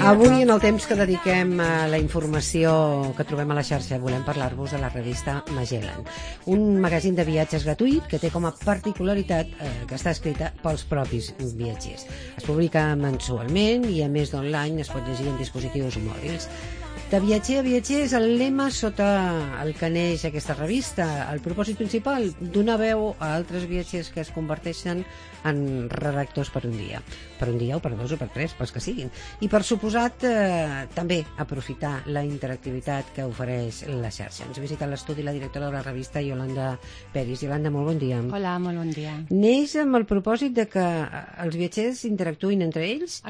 Avui, en el temps que dediquem a la informació que trobem a la xarxa, volem parlar-vos de la revista Magellan, un magazín de viatges gratuït que té com a particularitat que està escrita pels propis viatgers. Es publica mensualment i, a més d'online, es pot llegir en dispositius mòbils. De viatger a viatger és el lema sota el que neix aquesta revista. El propòsit principal, donar veu a altres viatgers que es converteixen en redactors per un dia o per dos o per tres, pels que siguin. I per suposat també aprofitar la interactivitat que ofereix la xarxa. Ens visita a l'estudi la directora de la revista, Yolanda Peris. Yolanda, molt bon dia. Hola, molt bon dia. Neix amb el propòsit de que els viatgers interactuïn entre ells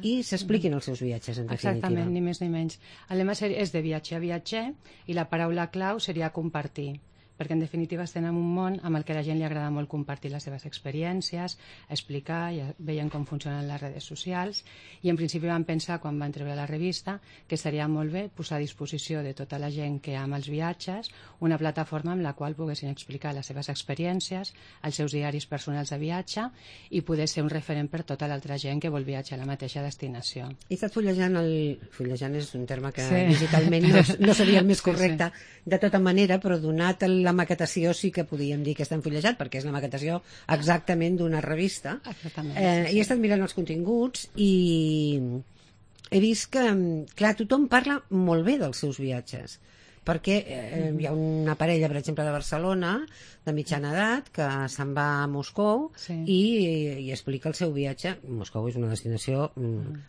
i s'expliquin els seus viatges, en definitiva. Exactament, ni més ni menys. El lema és de viatger a viatger i la paraula clau seria compartir, perquè en definitiva estem en un món amb el que a la gent li agrada molt compartir les seves experiències, explicar, ja veiem com funcionen les redes socials, i en principi vam pensar, quan vam treure la revista, que estaria molt bé posar a disposició de tota la gent que ama els viatges una plataforma amb la qual poguessin explicar les seves experiències, els seus diaris personals de viatge, i poder ser un referent per tota l'altra gent que vol viatjar a la mateixa destinació. He estat fullejant, fullejant és un terme que digitalment no seria el més correcte, de tota manera, però donat la maquetació sí que podíem dir que està enfullejat, perquè és la maquetació exactament d'una revista. Exactament. I he estat mirant els continguts i he vist que, clar, tothom parla molt bé dels seus viatges, perquè hi ha una parella, per exemple, de Barcelona, de mitjana edat, que se'n va a Moscou i explica el seu viatge. Moscou és una destinació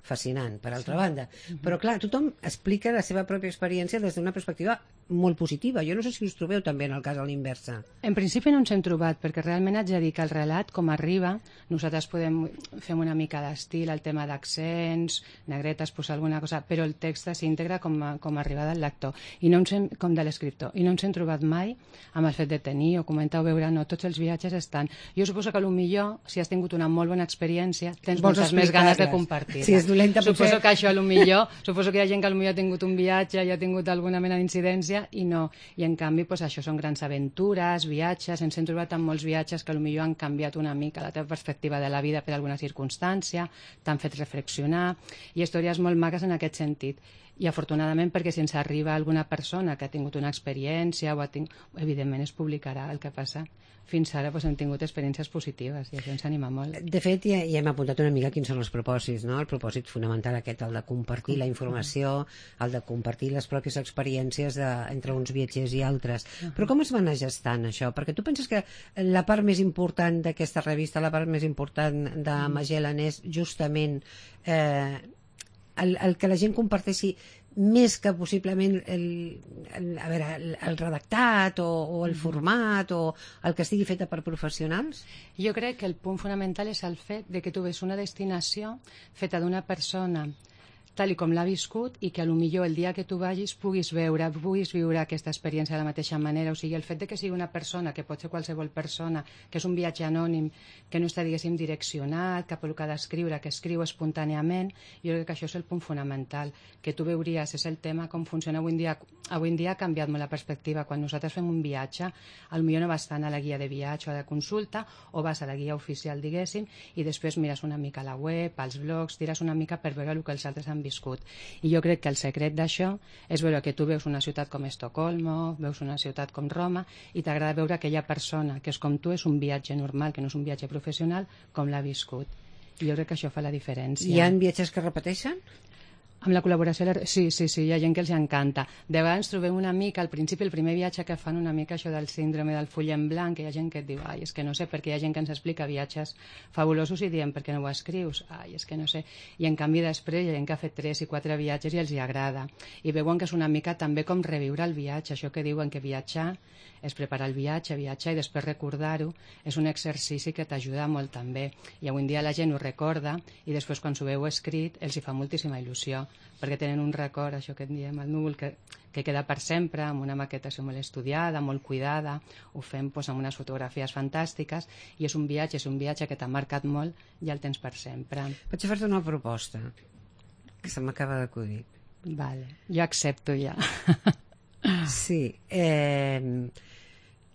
fascinant, per altra banda. Però, clar, tothom explica la seva pròpia experiència des d'una perspectiva molt positiva. Jo no sé si us trobeu també en el cas a l'inversa. En principi no ens hem trobat, perquè realment haig de dir que el relat, com arriba, nosaltres fem una mica d'estil, el tema d'accents, negretes, posar alguna cosa, però el text s'integra com arriba del lector, i no ens hem, com de l'escriptor, i no ens hem trobat mai amb el fet de tenir o comentar o veure, no, tots els viatges estan. Jo suposo que potser, si has tingut una molt bona experiència, tens moltes més ganes de compartir-la. Si és dolenta, suposo que això, suposo que hi ha gent que potser ha tingut un viatge i ha tingut alguna mena d'incidència i no. I en canvi, això són grans aventures, viatges, ens hem trobat amb molts viatges que potser han canviat una mica la teva perspectiva de la vida per alguna circumstància, t'han fet reflexionar, i històries molt maques en aquest sentit. I afortunadament, perquè si ens arriba alguna persona que ha tingut una experiència evidentment es publicarà. El que passa, fins ara hem tingut experiències positives i això ens anima molt. De fet, ja hem apuntat una mica quins són els propòsits, no? El propòsit fonamental aquest, el de compartir la informació, el de compartir les pròpies experiències entre uns viatgers i altres. Però com es va anar gestant això? Perquè tu penses que la part més important d'aquesta revista, la part més important de Magellan és justament el que la gent comparteixi més que possiblement el redactat o el format o el que estigui fet per professionals? Jo crec que el punt fonamental és el fet de que tu ves una destinació feta d'una persona tal i com l'ha viscut i que potser el dia que tu vagis puguis viure aquesta experiència de la mateixa manera. O sigui, el fet de que sigui una persona, que pot ser qualsevol persona, que és un viatge anònim, que no està, diguéssim, direccionat cap al que ha d'escriure, que escriu espontàniament, jo crec que això és el punt fonamental, que tu veuries, és el tema com funciona avui en dia. Avui en dia ha canviat molt la perspectiva. Quan nosaltres fem un viatge, potser no vas tant a la guia de viatge o de consulta, o vas a la guia oficial, diguéssim, i després mires una mica la web, els blogs, tires una mica per veure el que els altres han viscut. I jo crec que el secret d'això és veure que tu veus una ciutat com Estocolmo, veus una ciutat com Roma, i t'agrada veure aquella persona que és com tu, és un viatge normal, que no és un viatge professional, com l'ha viscut. I jo crec que això fa la diferència. Hi ha viatges que repeteixen? Amb la col·laboració, sí, hi ha gent que els encanta. De vegades trobem una mica, al principi, el primer viatge que fan una mica això del síndrome del full en blanc, que hi ha gent que et diu, és que no sé, perquè hi ha gent que ens explica viatges fabulosos i diem, per què no ho escrius? És que no sé. I en canvi després hi ha gent que ha fet 3 i 4 viatges i els hi agrada. I veuen que és una mica també com reviure el viatge, això que diuen que viatjar és preparar el viatge, viatjar i després recordar-ho, és un exercici que t'ajuda molt també. I avui en dia la gent ho recorda i després quan s'ho veu escrit els hi fa moltíssima il·lusió, perquè tenen un record, això que en diem el núvol, que queda per sempre, amb una maquetació molt estudiada, molt cuidada, ho fem amb unes fotografies fantàstiques, i és un viatge que t'ha marcat molt i el tens per sempre. Vaig a fer-te una proposta que se m'acaba d'acudir. Vale, jo accepto ja. Sí,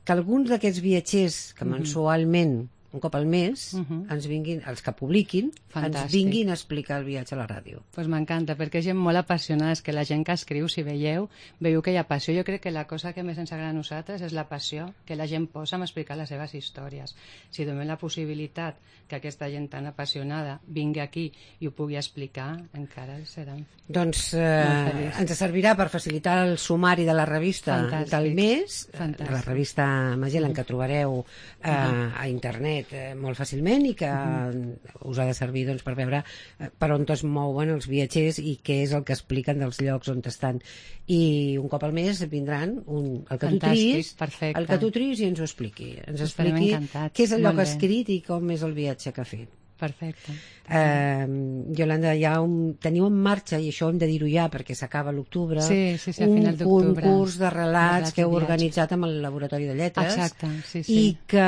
que alguns d'aquests viatgers que mensualment un cop al mes, ens vinguin, els que publiquin, ens vinguin a explicar el viatge a la ràdio. Pues m'encanta, perquè és gent molt apassionada, és que la gent que escriu, si veieu que hi ha passió. Jo crec que la cosa que més ens agrada a nosaltres és la passió que la gent posa en explicar les seves històries. Si donem la possibilitat que aquesta gent tan apassionada vingui aquí i ho pugui explicar, encara seran doncs ens servirà per facilitar el sumari de la revista del mes, de la revista Magellan, que trobareu a internet molt fàcilment i que us ha de servir doncs, per veure per on es mouen els viatgers i què és el que expliquen dels llocs on estan. I un cop al mes vindran el que tu tris i ens ho expliqui. Ens expliqui què és allò que ha escrit i com és el viatge que ha fet. Perfecte. Yolanda, teniu en marxa, i això hem de dir-ho ja perquè s'acaba l'octubre, un concurs de relats que heu organitzat amb el Laboratori de Lletres. Exacte, i que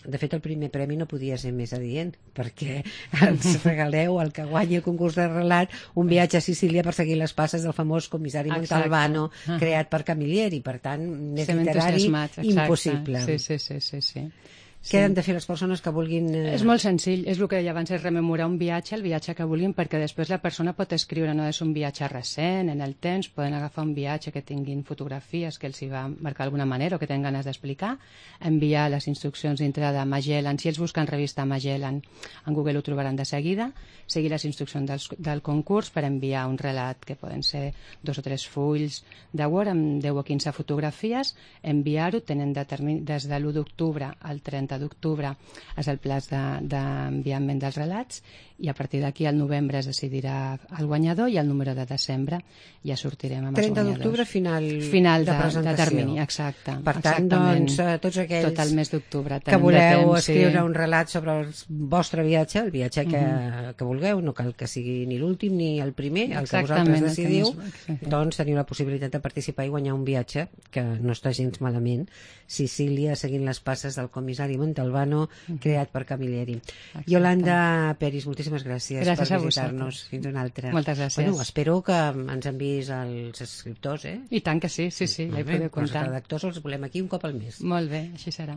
de fet el primer premi no podia ser més adient, perquè ens regaleu el que guanya el concurs de relat un viatge a Sicília per seguir les passes del famós comissari Montalbano, creat per Camilleri, per tant més literari impossible. Sí. Què han de fer les persones que vulguin... És molt senzill, és el que deia abans, és rememorar un viatge, el viatge que vulguin, perquè després la persona pot escriure, no és un viatge recent, en el temps, poden agafar un viatge que tinguin fotografies que els hi va marcar d'alguna manera o que tenen ganes d'explicar, enviar les instruccions dintre de Magellan, si ells busquen revista Magellan, en Google ho trobaran de seguida, seguir les instruccions del concurs per enviar un relat que poden ser 2 o 3 fulls de Word amb 10 o 15 fotografies, enviar-ho, tenen des de l'1 d'octubre al 30 d'octubre és el plaç d'enviament dels relats i a partir d'aquí al novembre es decidirà el guanyador i el número de desembre ja sortirem amb els guanyadors. 30 d'octubre final de presentació. De termini, exacte. Per tant, doncs, tots aquells tot el mes d'octubre que voleu escriure un relat sobre el vostre viatge, el viatge que vulgueu, no cal que sigui ni l'últim ni el primer, el que vosaltres decidiu, doncs teniu la possibilitat de participar i guanyar un viatge que no està gens malament, Sicília seguint les passes del comissari Montalbano, creat per Camilleri. Yolanda Peris, moltíssimes gràcies per visitar-nos. Fins una altra. Moltes gràcies. Bueno, espero que ens enviïs els escriptors, I tant que sí, ja hi podeu comptar. Els redactors els volem aquí un cop al mes. Molt bé, així serà.